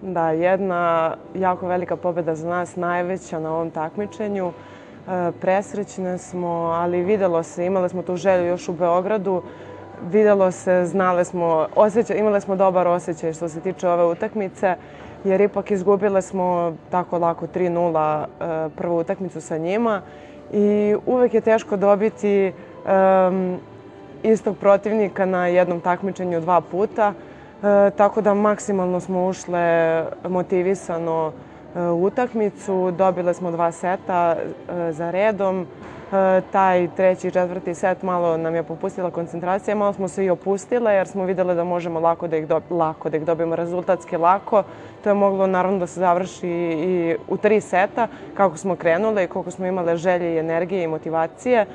Da, jedna jako velika pobjeda za nas, najveća na ovom takmičenju. Presrećne smo, ali videlo se, imali smo tu želju još u Beogradu. Videlo se, znali smo, imali smo dobar osjećaj što se tiče ove utakmice, jer ipak izgubile smo tako lako 3:0 prvu utakmicu sa njima i uvek je teško dobiti istog protivnika na jednom takmičenju 2 puta. Tako da maksimalno smo ušle motivisano u utakmicu. Dobile smo 2 seta za redom. Taj treći i četvrti set malo nam je popustila koncentracija, malo smo se i opustile jer smo vidjeli da možemo lako da ih dobijemo, rezultatski lako. To je moglo naravno da se završi i u 3 seta kako smo krenule i koliko smo imale želje i energije i motivacije.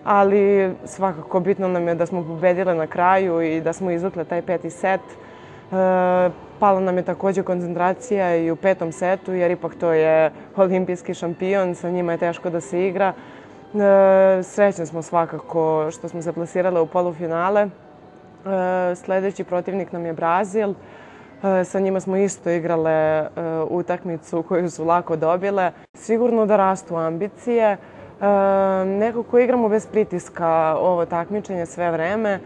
Ali svakako bitno nam je da smo pobedile na kraju i da smo izvukle taj 5. set. Pala nam je također koncentracija i u 5. setu, jer ipak to je olimpijski šampion, sa njima je teško da se igra. Srećni smo svakako što smo se plasirale u polufinale. Sljedeći protivnik nam je Brazil. Sa njima smo isto igrale utakmicu koju su lako dobile. Sigurno da rastu ambicije. Nekako igramo bez pritiska ovo takmičenje sve vreme,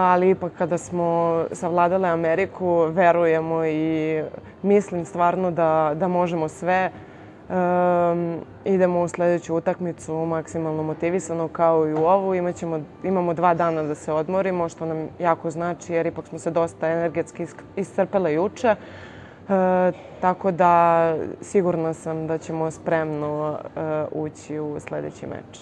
ali ipak kada smo savladale Ameriku, verujemo i mislim stvarno da možemo sve. Idemo u sljedeću utakmicu maksimalno motivisano kao i u ovu. Imamo 2 dana da se odmorimo, što nam jako znači jer ipak smo se dosta energetski iscrpele juče. Tako da sigurna sam da ćemo spremno ući u sljedeći meč.